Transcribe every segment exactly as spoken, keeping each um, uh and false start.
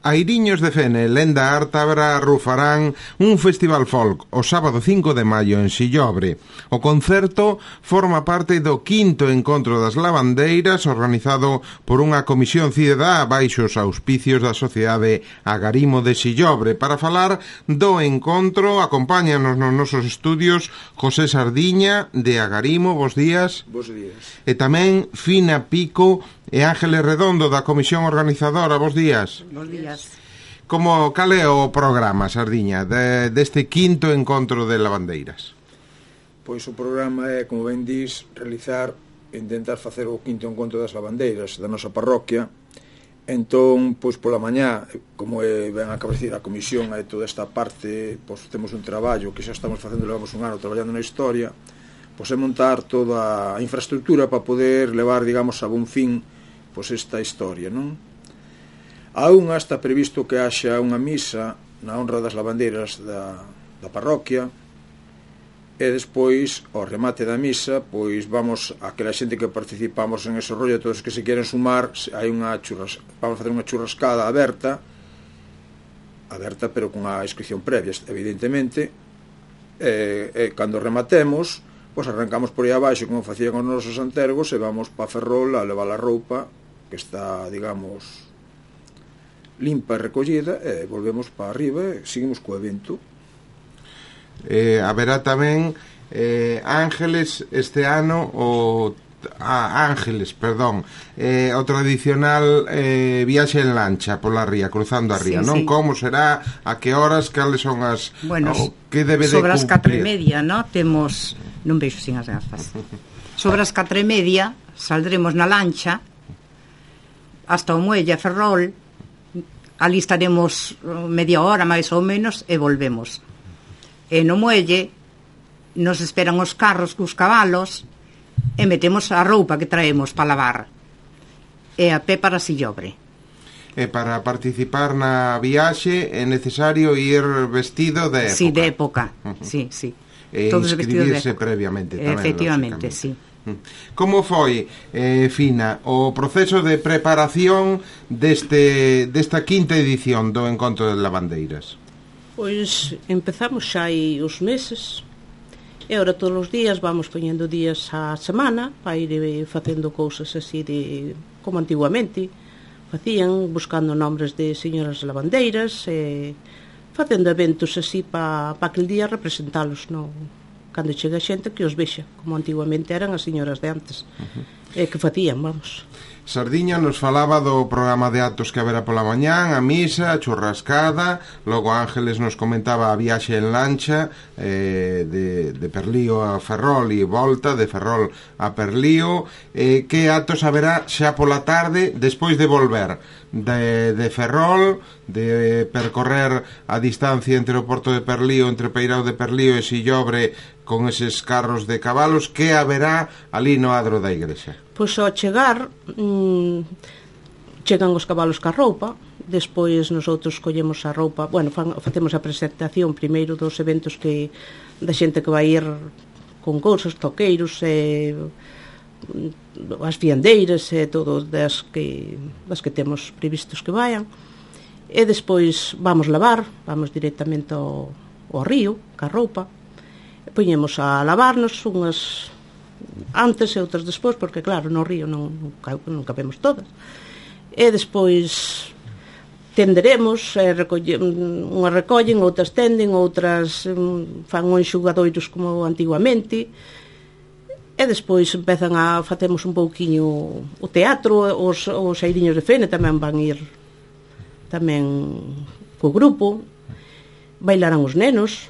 Airiños de Fene, Lenda Ártabra rufarán un festival folk o sábado cinco de maio en Sillobre. O concerto forma parte do quinto encontro das lavandeiras organizado por unha comisión cidadá baixo os auspicios da Sociedade Agarimo de Sillobre. Para falar do encontro, acompáñanos nos nosos estudios José Sardiña de Agarimo, bos días. Bos días. E tamén Fina Pico e Ángeles Redondo da comisión organizadora, bos días. Bos días. Como, cal é o programa, Sardiña, de, deste quinto encontro de lavandeiras? Pois o programa é, como ben dís, realizar, intentar facer o quinto encontro das lavandeiras da nosa parroquia. Entón, pois pola mañá, como é, ben a cabecir a comisión e toda esta parte, pois temos un traballo que xa estamos facendo, levamos un ano traballando na historia, pois é montar toda a infraestructura para poder levar, digamos, a bon fin pois esta historia, non? A unha está previsto que haxa unha misa na honra das lavandeiras da, da parroquia, e despois, ao remate da misa, pois vamos, aquela xente que participamos en ese rollo, todos que se queren sumar, hai unha churras, vamos a facer unha churrascada aberta, aberta pero con a inscripción previa, evidentemente, e, e cando rematemos, pois arrancamos por aí abaixo, como facían os nosos antergos, e vamos pa Ferrol a levar a roupa, que está, digamos, limpa e recollida, e volvemos para arriba e seguimos co evento. Eh, haberá tamén eh, Ángeles este ano o ah, Ángeles, perdón eh, o tradicional eh, viaxe en lancha pola ría, cruzando a ría, sí, non? Sí. Como será, a que horas, cales son as bueno, o, que debe de sobre as catro e cumplir? media, no? Temos, non veixo sin as gafas. Sobre as catro e media saldremos na lancha hasta o muelle a Ferrol, ali estaremos media hora máis ou menos e volvemos. E no muelle nos esperan os carros cos cabalos e metemos a roupa que traemos para lavar, e a pé para Sillobre. E para participar na viaxe é necesario ir vestido de época. Sí, de época, uh-huh. sí, sí. E todos inscribirse previamente tamén, efectivamente, sí. Como foi, eh, Fina, o proceso de preparación deste desta quinta edición do Encontro de Lavandeiras? Pois empezamos xa hai uns meses, e agora todos os días vamos poñendo días á semana para ir facendo cousas así de como antiguamente facían, buscando nombres de señoras lavandeiras e facendo eventos así para pa aquel día representalos, no, cando chega a xente que os vexa, como antiguamente eran as señoras de antes, uh-huh. e que facían, vamos. Sardiña nos falaba do programa de actos que haberá pola mañán, a misa, a churrascada, logo Ángeles nos comentaba a viaxe en lancha eh, de, de Perlío a Ferrol e volta, de Ferrol a Perlío. Eh, que actos haberá xa pola tarde despois de volver de, de Ferrol, de percorrer a distancia entre o porto de Perlío, entre o Peirao de Perlío e Sillobre con eses carros de cabalos? Que haberá ali no adro da igrexa? Pois ao chegar mmm, chegan os cabalos ca roupa, despois nosotros collemos a roupa, bueno, fan, facemos a presentación primeiro dos eventos que da xente que vai ir con cousas, toqueiros e as fiandeiras e todo das que, das que temos previstos que vayan, e despois vamos lavar, vamos directamente ao, ao río ca roupa, e poñemos a lavarnos unhas antes e outras despois, porque claro, no río non, non cabemos todas, e despois tenderemos, e recolle, unhas recollen, outras tenden, outras fan uns xugadoiros como antiguamente, e despois empezan a facemos un pouquiño o teatro, os, os Airiños de Fene tamén van ir tamén co grupo, bailarán os nenos.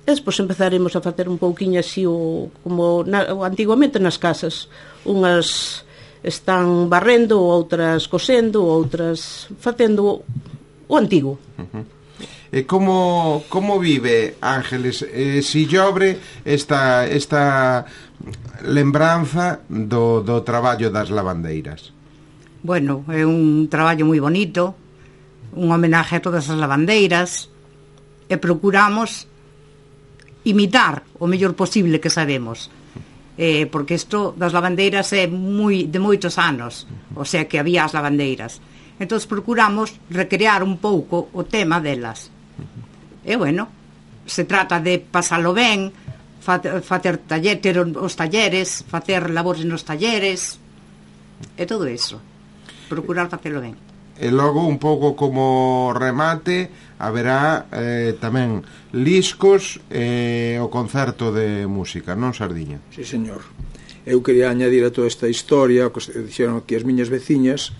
E despois empezaremos a facer un pouquiño así o, como na, antiguamente nas casas, unhas están barrendo, outras cosendo, outras facendo o antigo. Uh-huh. E como, como vive, Ángeles, eh, Sillobre esta, esta lembranza do, do traballo das lavandeiras? Bueno, é un traballo moi bonito, un homenaje a todas as lavandeiras, e procuramos imitar o mellor posible que sabemos, eh, porque isto das lavandeiras é moi, de moitos anos, o sea que había as lavandeiras, entón procuramos recrear un pouco o tema delas. E bueno, se trata de pasalo ben, facer taller, ter os talleres, facer labores nos talleres, e todo iso, procurar facelo ben. E logo, un pouco como remate, haberá eh, tamén liscos e eh, o concerto de música, non, Sardiña? Sí, señor. Eu quería añadir a toda esta historia, que dixeron aquí as miñas veciñas,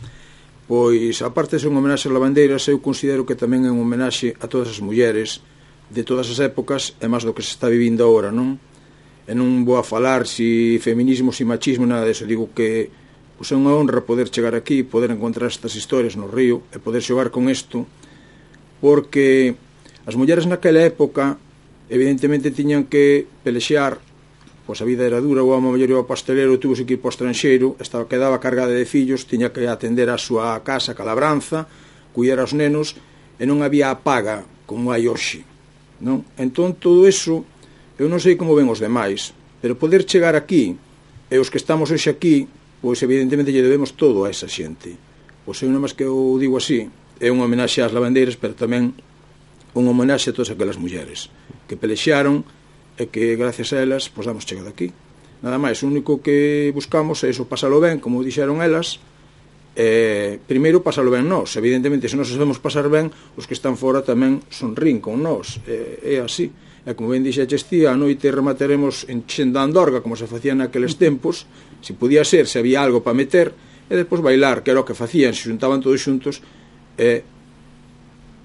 pois, aparte de ser un homenaxe ás lavandeiras, eu considero que tamén é un homenaxe a todas as mulleres de todas as épocas, e máis do que se está vivindo agora, non? E non vou a falar si feminismo, si machismo, nada deso. Digo que pois é unha honra poder chegar aquí, poder encontrar estas historias no río e poder xogar con isto, porque as mulleres naquela época evidentemente tiñan que pelexear, pois a vida era dura, o home mellor ao pastelero, tuvo que ir para o estranxeiro, estaba, quedaba cargada de fillos, tiña que atender a súa casa, a labranza, cuidar aos nenos, e non había a paga como hai hoxe, non? Entón todo iso, eu non sei como ven os demais, pero poder chegar aquí, e os que estamos hoxe aquí, pois evidentemente lle debemos todo a esa xente. Pois eu non máis que eu digo así, é unha homenaxe ás lavandeiras, pero tamén unha homenaxe a todas aquelas mulleres que pelexaron e que gracias a elas pois damos chegado aquí. Nada máis, o único que buscamos é iso, pasalo ben, como dixeron elas, e primeiro pasalo ben nós. Evidentemente, se nós sabemos pasar ben, os que están fora tamén sonrín con nós, é, é así. E como ben dixeches ti, a noite remataremos en Xenda Andorga, como se facía naqueles tempos, se podía ser, se había algo para meter, e despois bailar, que era o que facían, se xuntaban todos xuntos, e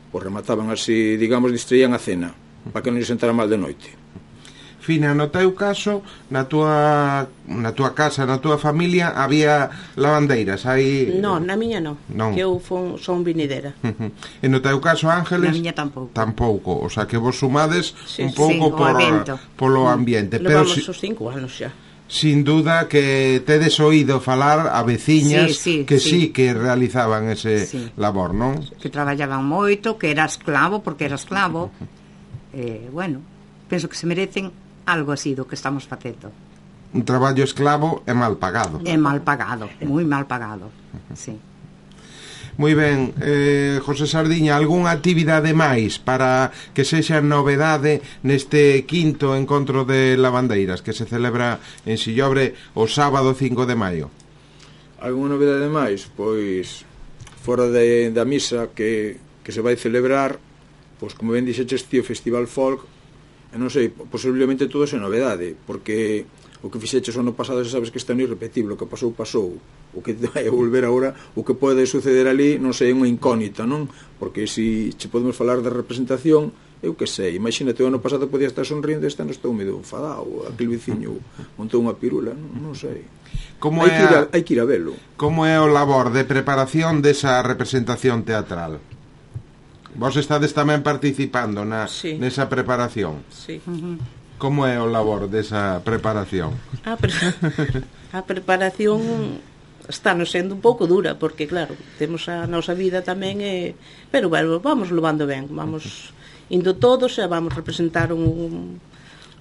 pois remataban así, digamos, distraían a cena, para que non lle sentara mal de noite. Fina, no teu caso, na tua, na tua casa, na tua familia, había lavandeiras? Hai... Non, na miña non, non. Que eu fon, son vinidera. E no teu caso, Ángeles? Na miña tampouco. Tampouco, o sea, que vos sumades sí, un pouco sí, por, polo ambiente. Levamos Pero, os cinco anos xa. Sin duda que tedes oído falar a veciñas sí, sí, que sí. sí sí que realizaban ese sí. labor, non? Que traballaban moito, que era esclavo, porque era esclavo. eh, bueno, penso que se merecen algo así do que estamos facendo. Un traballo esclavo é mal pagado. É mal pagado, moi mal pagado, sí. Moi ben, eh, José Sardiña, algunha actividade máis para que sexa novedade neste quinto encontro de lavandeiras que se celebra en Sillobre o sábado cinco de maio? Algunha novedade máis? Pois, fora de, da misa que, que se vai celebrar, pois como ben dixeches ti, o Festival Folk, e non sei, posiblemente todo é novedade, porque o que fixeches o ano pasado xa sabes que está non irrepetible, o que pasou, pasou, o que vai a volver agora, o que pode suceder ali, non sei, é unha incógnita, non? Porque se si podemos falar da representación, eu que sei, imagínate, o ano pasado podía estar sonrindo, este ano estou medio enfadado, aquel veciño montou unha pirula, non, non sei. Como hai, é que ir a, a, hai que ir a velo. Como é o labor de preparación desa representación teatral? Vos estades tamén participando na, sí. nesa preparación. Sí. Uh-huh. Como é o labor desa preparación? A, pre a preparación está nos sendo un pouco dura, porque claro, temos a nosa vida tamén, e... pero bueno, vamos levando ben, vamos indo todos e vamos representar un...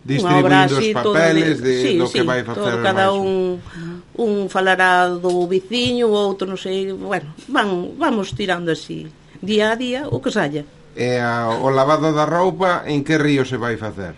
distribuindo os papeles de, sí, do sí, que vai facer todo, cada un un falará do veciño, o outro non sei, bueno, van, vamos tirando así día a día o que saia. E a, o lavado da roupa en que río se vai facer?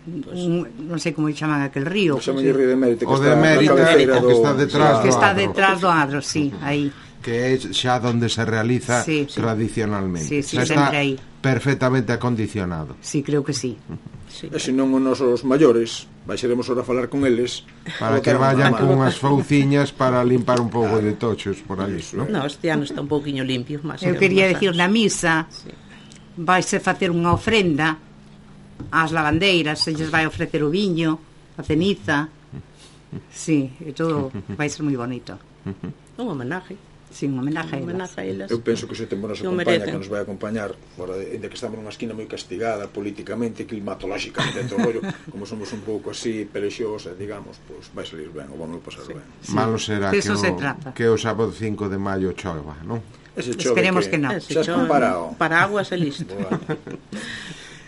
Un, non sei como chaman aquel río. O río de Mérida, o de Mérida, o que está detrás que do está adro. detrás do adro, sí, aí. Que é xa onde se realiza sí, sí. tradicionalmente. Sí, sí, xa está aí. Perfectamente acondicionado. Sí, creo que sí. Sí. E se non os nosos maiores, baixaremos ahora a falar con eles para que vayan con unhas fouciñas para limpar un pouco de tochos por ali, ¿no? No, este ano está un pouquiño limpio, máis. Eu quería decir, na misa sí. vaise facer unha ofrenda ás lavandeiras, se lles vai ofrecer o viño, a ceniza. Sí, e todo vai ser moi bonito. Un homenaje. Sí, un homenaje, un homenaje a elas. Eu penso que se tempo nos acompaña, que nos vai acompañar, fora de, de que estamos nunha esquina moi castigada políticamente, climatológicamente, todo rollo, como somos un pouco así perexosa, digamos, pois pues, vai salir ben, o vamos a pasar sí. ben. Sí. Malo será que, que, o, se trata. que o sábado cinco de maio chova, non? Ese chove Esperemos que, que non. Xa está parado. Paraguas e listo.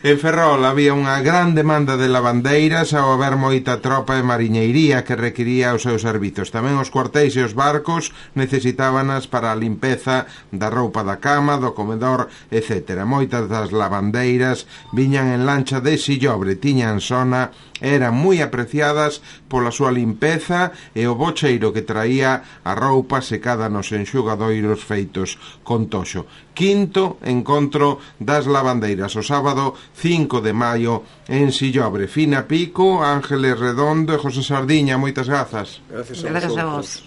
En Ferrol había unha gran demanda de lavandeiras ao haber moita tropa de mariñeiría que requiría os seus servizos. Tamén os cuartéis e os barcos necesitábanas para a limpeza da roupa da cama, do comedor, etcétera. Moitas das lavandeiras viñan en lancha de sillobre, tiñan sona, eran moi apreciadas pola súa limpeza e o bocheiro que traía a roupa secada nos enxugadoiros feitos con toxo. Quinto encontro das lavandeiras, o sábado cinco de maio en Sillobre. Fina Pico, Ángeles Redondo e José Sardiña, moitas grazas. Gracias a vos.